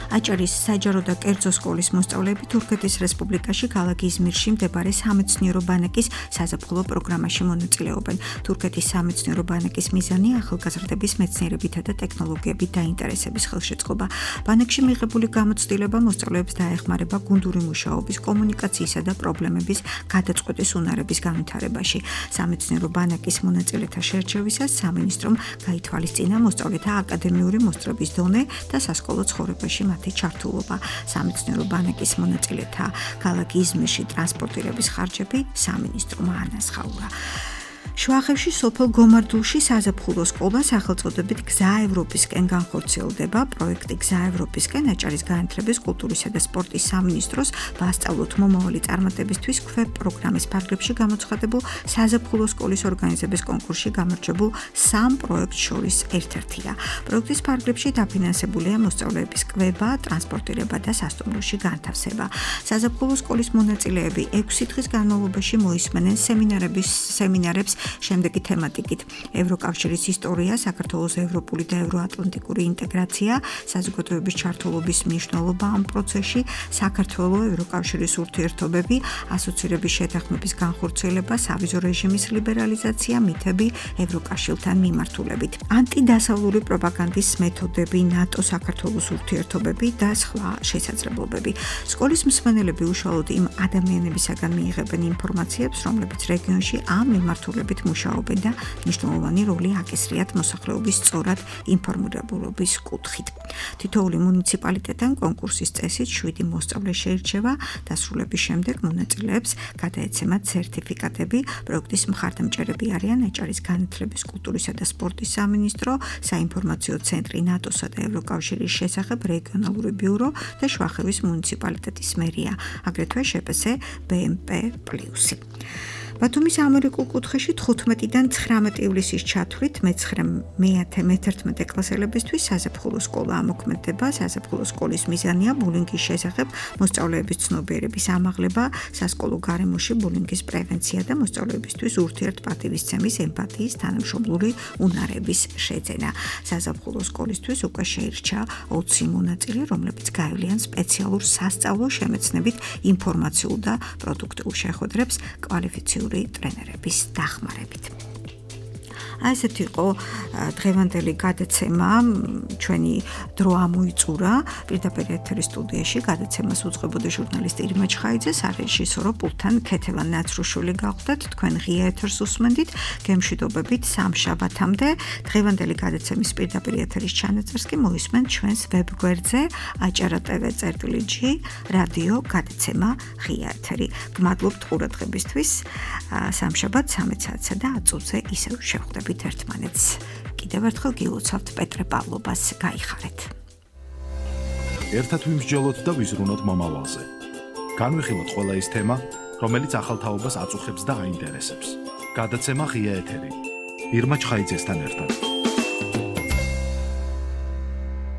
აჭარის საჯარო და კერძო სკოლის მოსწავლეები თურქეთის რესპუბლიკაში ქალაქ იზმირში მდებარე სამეცნიერო ბანაკის საზაფხულო პროგრამაში მონაწილეობენ. თურქეთის სამეცნიერო ბანაკის მიზანი ახალგაზრდების მეცნიერებითა და ტექნოლოგიებით დაინტერესების ხელშეწყობა. ბანაკში მიღებული გამოცდილება მოსწავლეებს დაეხმარება გუნდური მუშაობის, კომუნიკაციისა და პრობლემების გადაწყვეტის უნარების განვითარებაში. სამეცნიერო ბანაკის მონაწილეთა შერჩევისას სამინისტრომ გაითვალისწინა მოსწავლეთა აკადემიური მოსწრების დონე და სასკოლო ცხოვრებაში მათი ჩართულობა. სამეცნიერო ბანაკის მონაწილეთა ქალაქ იზმირში ტრანსპორტირების ხარჯები სამინისტრომ აანახაურა. შვახევში სოფელ გომარდულში საზაფხულო სკოლა სახელწოდებით გზა ევროპისკენ განხორციელდება. პროექტი გზა ევროპისკენ აჭარის განათლების, კულტურისა და სპორტის სამინისტროს ვასწავლოთ მომავალი წარმატებისთვის ქვებ პროგრამის ფარგლებში გამოცხადებულ საზაფხულო სკოლის ორგანიზების კონკურსში გამარჯვებულ სამ პროექტს შორის ერთ-ერთია. პროექტის ფარგლებში დაფინანსებულია მოსწავლეების კვება, ტრანსპორტირება და სასტუმროში განთავსება. საზაფხულო სკოლის მონაწილეები ექვსი დღის განმავლობაში მოისმენენ სემინარების სემინარებს შემდეგი თემატიკით: ევროკავშირის ისტორია, საქართველოს ევროპული და ევროატლანტიკური ინტეგრაცია, საზოგადოების ჩართულობის მნიშვნელობა ამ პროცესში, საქართველოს ევროკავშირის ურთიერთობები, ასოცირების შეთანხმების განხორციელება, სავიზო რეჟიმის ლიბერალიზაცია, მითები ევროკავშირთან მიმართულებით, ანტიდასავლური პროპაგანდის მეთოდები, ნატო საქართველოს ურთიერთობები და სხვა შესაძლებლობები. სკოლის მსმენელები უშუალოდ იმ ადამიანებისაგან მიიღებენ ინფორმაციებს, რომლებიც რეგიონში ამ მიმართულებით მუშაობენ და მნიშვნელოვანი როლი აკისრიათ მოსახლეობის სწორად ინფორმირებულობის კუთხით. თითოეული მუნიციპალიტეტთან კონკურსის წესით შვიდი მოსწავლე შეირჩევა, დასრულების შემდეგ მონაწილეებს გადაეცემათ სერტიფიკატები. პროექტის მხარდამჭერები არიან აჭარის განათლების, კულტურისა და სპორტის სამინისტრო, საინფორმაციო ცენტრი ნატოსა და ევროკავშირის შესახებ რეგიონალური ბიურო და შვახევის მუნიციპალიტეტის მერია, აგრეთვე შპს ბე ემ პე პლუსი. ბათუმის ამერიკულ კუთხეში თხუთმეტიდან ცხრამეტი ივლისის ჩათვლით მეცხრე მეთერთმეტე კლასელებისთვის საზაფხულო სკოლა ამოქმედდება. საზაფხულო სკოლის მიზანია ბულინგის შესახებ მოსწავლეების ცნობიერების ამაღლება, სასკოლო გარემოში ბულინგის პრევენცია და მოსწავლეებისთვის ურთიერთპატივისცემის, ემპათიის, თანამშრომლური უნარების შეძენა. საზაფხულო სკოლისთვის უკვე შეირჩა ოცი მონაწილე, რომლებიც გაევლიან სპეციალურ სასწავლო შემეცნებით ინფორმაციულ და პროდუქტიულ შეხვედრებს კვალიფიციური ტრენერების დახმარებით. აი ესეთი იყო დღევანდელი გადაცემა, ჩვენი დრო ამოიწურა. პირდაპირ ეთერის სტუდიაში გადაცემას უძღვებოდა ჟურნალისტი ირმა ჩხაიძე, სარეჟისორო პულტთან ქეთევან ნაცრუშვილი გახვდათ. თქვენ ღია ეთერს უსმენდით, გემშვიდობებით სამშაბათამდე. დღევანდელი გადაცემის პირდაპირ ეთერის ჩანაწერს კი მოისმენთ ჩვენს ვებგვერდზე აჭარა ტევ წერტილი ჯი რადიო გადაცემა ღია ეთერი. გმადლობთ ყურადღებისთვის. სამშაბათს სამი საათსა და ათი წუთზე ისევ შევხვდებით ერთმანეთს. კიდევ ერთხელ გილოცავთ პეტრე პავლობას, გაიხარეთ. ერთად ვიმსჯელოთ და ვიზრუნოთ მომავალზე. განვიხილოთ ყველა ის თემა, რომელიც ახალ თაობას აწუხებს და აინტერესებს. გადაცემა ღია ეთერი. ირმა ჩხაიძესთან ერთად.